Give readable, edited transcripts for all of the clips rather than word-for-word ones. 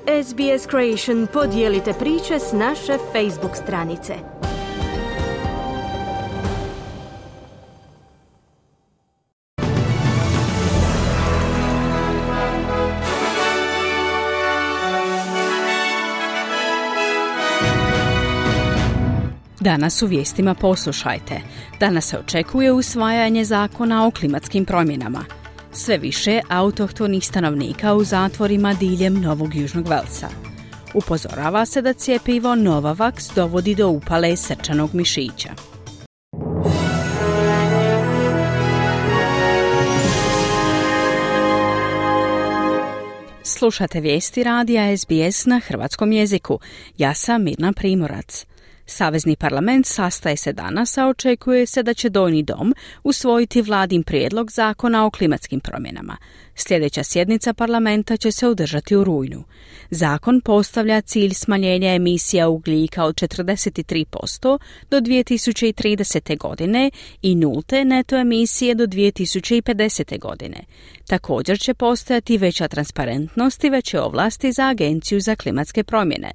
SBS Creation podijelite priče s naše Facebook stranice. Danas u vijestima poslušajte. Danas se očekuje usvajanje zakona o klimatskim promjenama. Sve više autohtonih stanovnika u zatvorima diljem Novog Južnog Velsa. Upozorava se da cjepivo Novavax dovodi do upale srčanog mišića. Slušate vijesti radija SBS na hrvatskom jeziku. Ja sam Mirna Primorac. Savezni parlament sastaje se danas, a očekuje se da će Donji dom usvojiti vladin prijedlog zakona o klimatskim promjenama. Sljedeća sjednica parlamenta će se održati u rujnu. Zakon postavlja cilj smanjenja emisija ugljika od 43% do 2030. godine i nulte neto emisije do 2050. godine. Također će postojati veća transparentnost i veće ovlasti za Agenciju za klimatske promjene.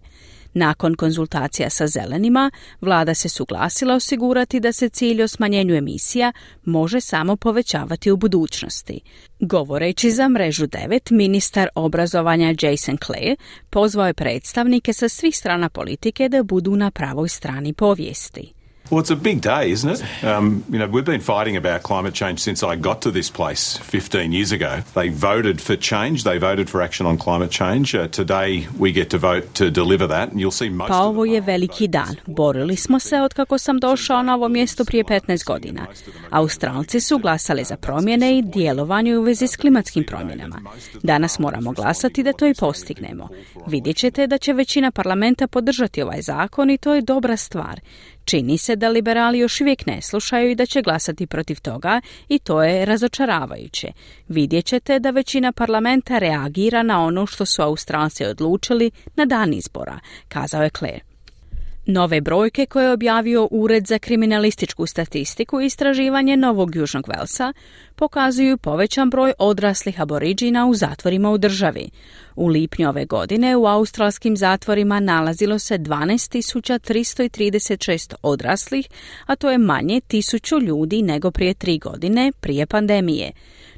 Nakon konzultacija sa zelenima, vlada se suglasila osigurati da se cilj o smanjenju emisija može samo povećavati u budućnosti. Govoreći za Mrežu 9, ministar obrazovanja Jason Clare pozvao je predstavnike sa svih strana politike da budu na pravoj strani povijesti. Well, it's a big day, isn't it? We've been fighting about climate change since I got to this place 15 years ago. They voted for change. They voted for action on climate change. Today we get to vote to deliver that, and you'll see most Pa ovo je veliki dan. Borili smo se od kako sam došao na ovo mjesto prije 15 godina. Australci su glasali za promjene i djelovanje u vezi s klimatskim promjenama. Danas moramo glasati da to i postignemo. Vidjet ćete da će većina parlamenta podržati ovaj zakon i to je dobra stvar. Čini se da liberali još uvijek ne slušaju i da će glasati protiv toga i to je razočaravajuće. Vidjet ćete da većina parlamenta reagira na ono što su Australci odlučili na dan izbora, kazao je Clare. Nove brojke koje je objavio Ured za kriminalističku statistiku i istraživanje Novog Južnog Velsa pokazuju povećan broj odraslih aboriđina u zatvorima u državi. U lipnju ove godine u australskim zatvorima nalazilo se 12.336 odraslih, a to je manje 1000 ljudi nego prije 3 godine, prije pandemije.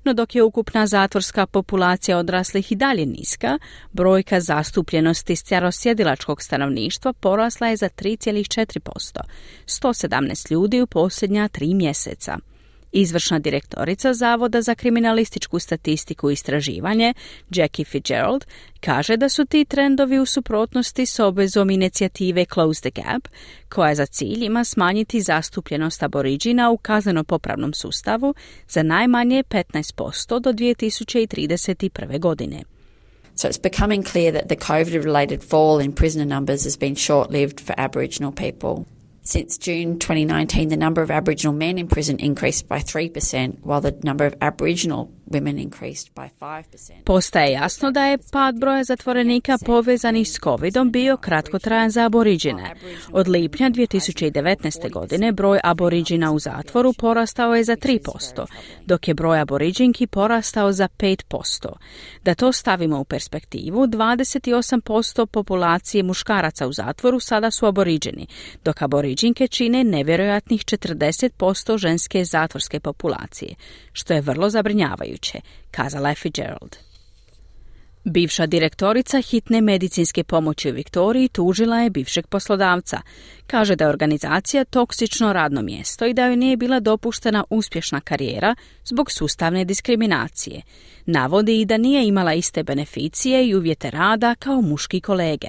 No dok je ukupna zatvorska populacija odraslih i dalje niska, brojka zastupljenosti starosjedilačkog stanovništva porasla je za 3,4%, 117 ljudi u posljednja 3 mjeseca. Izvršna direktorica Zavoda za kriminalističku statistiku i istraživanje, Jackie Fitzgerald, kaže da su ti trendovi u suprotnosti s obvezom inicijative Close the Gap, koja za cilj ima smanjiti zastupljenost aboriđina u kazneno-popravnom sustavu za najmanje 15% do 2031. godine. So it's becoming clear that the COVID-related fall in prisoner numbers has been short-lived for Aboriginal people. Since June 2019, the number of Aboriginal men in prison increased by 3%, while the number of Aboriginal women increased by 5%. Postaje jasno da je pad broja zatvorenika povezanih s covidom bio kratkotrajan za aboriđine. Od lipnja 2019. godine broj aboriđina u zatvoru porastao je za 3%, dok je broj aboriđinki porastao za 5%. Da to stavimo u perspektivu, 28% populacije muškaraca u zatvoru sada su aboriđini, dok aboriđinke čine nevjerojatnih 40% ženske zatvorske populacije, što je vrlo zabrinjavajuće, kazala je Fitzgerald. Bivša direktorica hitne medicinske pomoći u Viktoriji tužila je bivšeg poslodavca. Kaže da je organizacija toksično radno mjesto i da joj nije bila dopuštena uspješna karijera zbog sustavne diskriminacije. Navodi i da nije imala iste beneficije i uvjete rada kao muški kolege.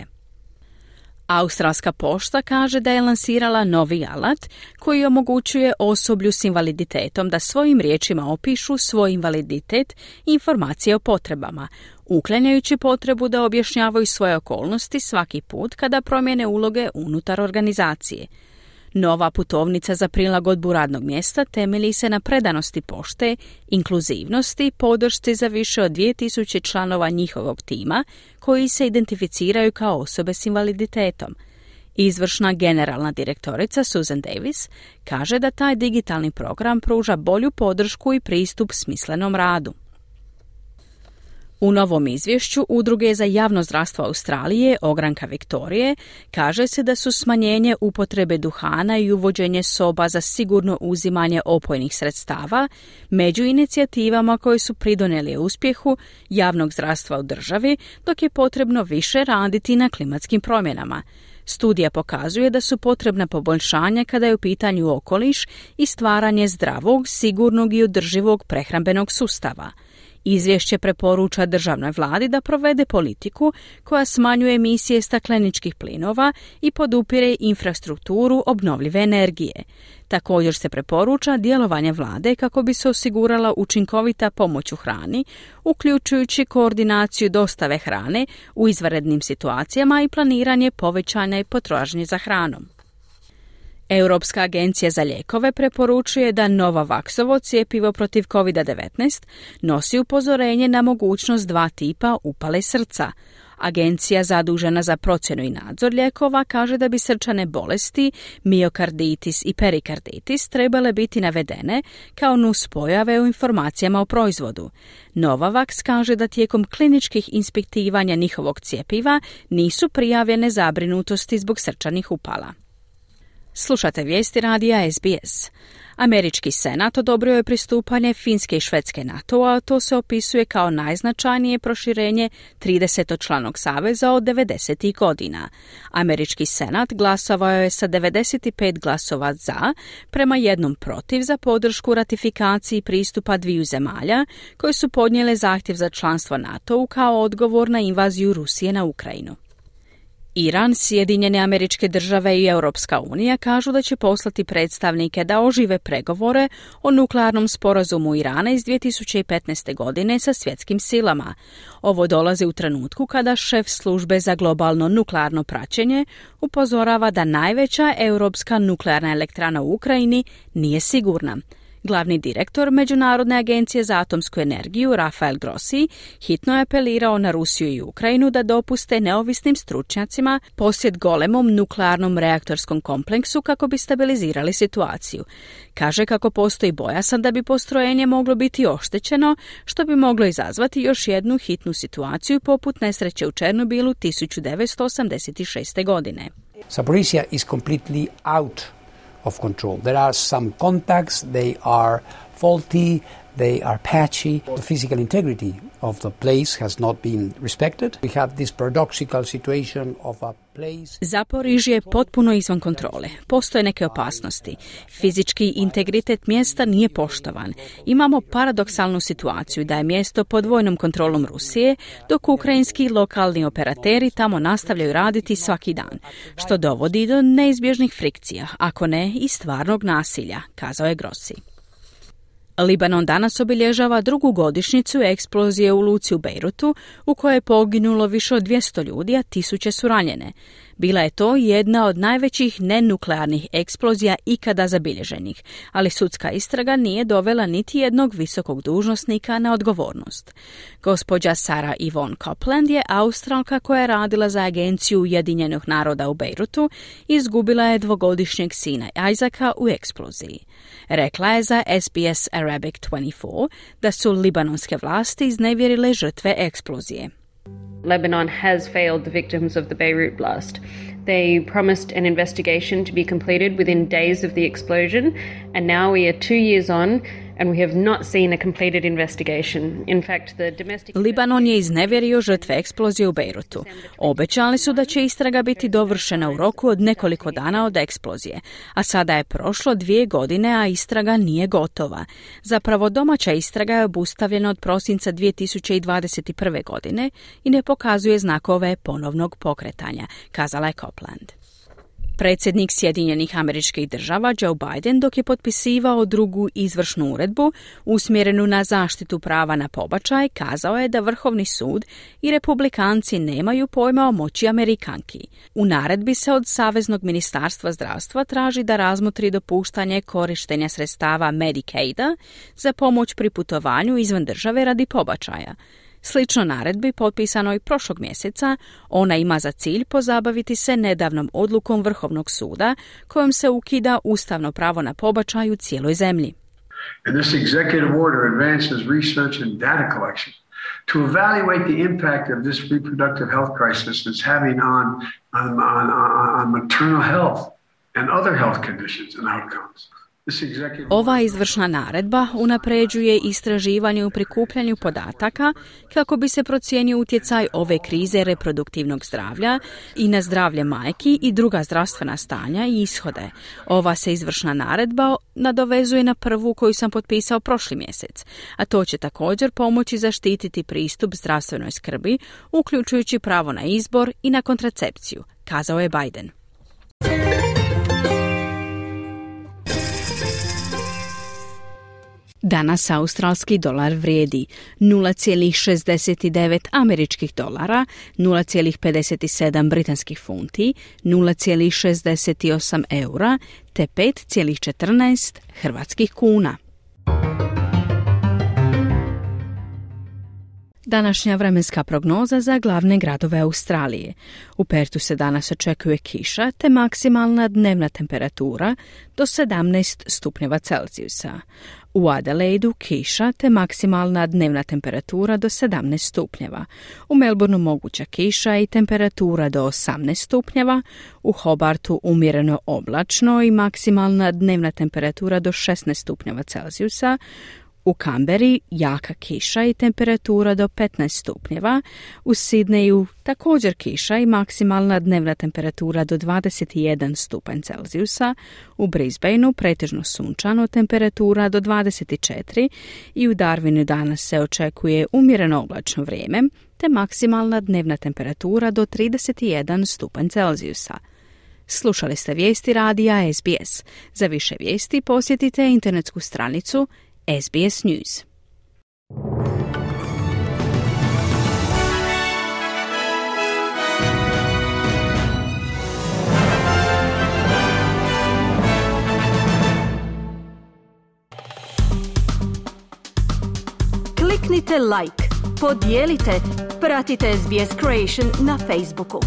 Australska pošta kaže da je lansirala novi alat koji omogućuje osoblju s invaliditetom da svojim riječima opišu svoj invaliditet i informacije o potrebama, uklanjajući potrebu da objašnjavaju svoje okolnosti svaki put kada promijene uloge unutar organizacije. Nova putovnica za prilagodbu radnog mjesta temelji se na predanosti pošte, inkluzivnosti i podršci za više od 2000 članova njihovog tima koji se identificiraju kao osobe s invaliditetom. Izvršna generalna direktorica Susan Davis kaže da taj digitalni program pruža bolju podršku i pristup smislenom radu. U novom izvješću Udruge za javno zdravstvo Australije, Ogranka Viktorije, kaže se da su smanjenje upotrebe duhana i uvođenje soba za sigurno uzimanje opojnih sredstava među inicijativama koje su pridonijeli uspjehu javnog zdravstva u državi, dok je potrebno više raditi na klimatskim promjenama. Studija pokazuje da su potrebna poboljšanja kada je u pitanju okoliš i stvaranje zdravog, sigurnog i održivog prehrambenog sustava. Izvješće preporuča državnoj vladi da provede politiku koja smanjuje emisije stakleničkih plinova i podupire infrastrukturu obnovljive energije. Također se preporuča djelovanje vlade kako bi se osigurala učinkovita pomoć u hrani, uključujući koordinaciju dostave hrane u izvanrednim situacijama i planiranje povećanja potražnje za hranom. Europska agencija za lijekove preporučuje da Novavaxovo cjepivo protiv COVID-19 nosi upozorenje na mogućnost 2 tipa upale srca. Agencija zadužena za procjenu i nadzor lijekova kaže da bi srčane bolesti, miokarditis i perikarditis trebale biti navedene kao nuspojave u informacijama o proizvodu. Novavax kaže da tijekom kliničkih ispitivanja njihovog cjepiva nisu prijavljene zabrinutosti zbog srčanih upala. Slušate vijesti radija SBS. Američki senat odobrio je pristupanje Finske i Švedske NATO-a, a to se opisuje kao najznačajnije proširenje 30-članog saveza od 90. godina. Američki senat glasovao je sa 95 glasova za, prema 1 protiv za podršku ratifikaciji pristupa 2 zemalja koje su podnijele zahtjev za članstvo NATO-u kao odgovor na invaziju Rusije na Ukrajinu. Iran, Sjedinjene Američke Države i Europska unija kažu da će poslati predstavnike da ožive pregovore o nuklearnom sporazumu Irana iz 2015. godine sa svjetskim silama. Ovo dolazi u trenutku kada šef službe za globalno nuklearno praćenje upozorava da najveća europska nuklearna elektrana u Ukrajini nije sigurna. Glavni direktor Međunarodne agencije za atomsku energiju, Rafael Grossi, hitno je apelirao na Rusiju i Ukrajinu da dopuste neovisnim stručnjacima posjet golemom nuklearnom reaktorskom kompleksu kako bi stabilizirali situaciju. Kaže kako postoji bojazan da bi postrojenje moglo biti oštećeno, što bi moglo izazvati još jednu hitnu situaciju poput nesreće u Černobilu 1986. godine. Zaporizhzhia is completely out of control. There are some contacts, they are faulty, they are patchy. The physical integrity of the place has not been respected. We have this paradoxical situation of a place. Zaporižje je potpuno izvan kontrole. Postoje neke opasnosti. Fizički integritet mjesta nije poštovan. Imamo paradoksalnu situaciju da je mjesto pod vojnom kontrolom Rusije, dok ukrajinski lokalni operateri tamo nastavljaju raditi svaki dan, što dovodi do neizbježnih frikcija, ako ne i stvarnog nasilja, kazao je Grossi. Libanon danas obilježava 2. godišnjicu eksplozije u luci u Bejrutu, u kojoj je poginulo više od 200 ljudi, a 1000 su ranjene. Bila je to jedna od najvećih nenuklearnih eksplozija ikada zabilježenih, ali sudska istraga nije dovela niti jednog visokog dužnosnika na odgovornost. Gospođa Sarah Yvonne Copeland je Australka koja je radila za agenciju Ujedinjenih naroda u Bejrutu i izgubila je 2-godišnjeg sina Isaaca u eksploziji. Rekla je za SBS Arabic 24 da su libanonske vlasti iznevjerile žrtve eksplozije. Lebanon has failed the victims of the Beirut blast. They promised an investigation to be completed within days of the explosion, and now we are 2 years on and we have not seen a completed investigation. In fact, the domestic... Libanon je iznevjerio žrtve eksplozije u Bejrutu. Obećali su da će istraga biti dovršena u roku od nekoliko dana od eksplozije, a sada je prošlo 2 godine, a istraga nije gotova. Zapravo domaća istraga je obustavljena od prosinca 2021. godine i ne pokazuje znakove ponovnog pokretanja, kazala je Copeland. Predsjednik Sjedinjenih Američkih Država Joe Biden, dok je potpisivao 2. izvršnu uredbu usmjerenu na zaštitu prava na pobačaj, kazao je da Vrhovni sud i republikanci nemaju pojma o moći Amerikanki. U naredbi se od Saveznog ministarstva zdravstva traži da razmotri dopuštanje korištenja sredstava Medicaida za pomoć pri putovanju izvan države radi pobačaja. Slično naredbi, potpisanoj prošlog mjeseca, ona ima za cilj pozabaviti se nedavnom odlukom Vrhovnog suda kojom se ukida ustavno pravo na pobačaj u cijeloj zemlji. And this executive order advances research and data collection to evaluate the impact of this reproductive health crisis is having on maternal health and other health conditions and outcomes. Ova izvršna naredba unapređuje istraživanje u prikupljanju podataka kako bi se procijenio utjecaj ove krize reproduktivnog zdravlja i na zdravlje majki i druga zdravstvena stanja i ishode. Ova se izvršna naredba nadovezuje na prvu koju sam potpisao prošli mjesec, a to će također pomoći zaštititi pristup zdravstvenoj skrbi, uključujući pravo na izbor i na kontracepciju, kazao je Biden. Danas australski dolar vrijedi 0,69 američkih dolara, 0,57 britanskih funti, 0,68 eura te 5,14 hrvatskih kuna. Današnja vremenska prognoza za glavne gradove Australije. U Pertu se danas očekuje kiša te maksimalna dnevna temperatura do 17 stupnjeva Celzijusa. U Adelaidu kiša te maksimalna dnevna temperatura do 17 stupnjeva. U Melbourneu moguća kiša i temperatura do 18 stupnjeva. U Hobartu umjereno oblačno i maksimalna dnevna temperatura do 16 stupnjeva Celzijusa. U Canberri jaka kiša i temperatura do 15 stupnjeva. U Sidneju također kiša i maksimalna dnevna temperatura do 21 stupanj Celzijusa. U Brisbaneu pretežno sunčano, temperatura do 24 i u Darwinu danas se očekuje umjereno oblačno vrijeme te maksimalna dnevna temperatura do 31 stupanj Celzijusa. Slušali ste vijesti radija SBS. Za više vijesti posjetite internetsku stranicu SBS News. Kliknite like, podijelite, pratite SBS Creation na Facebooku.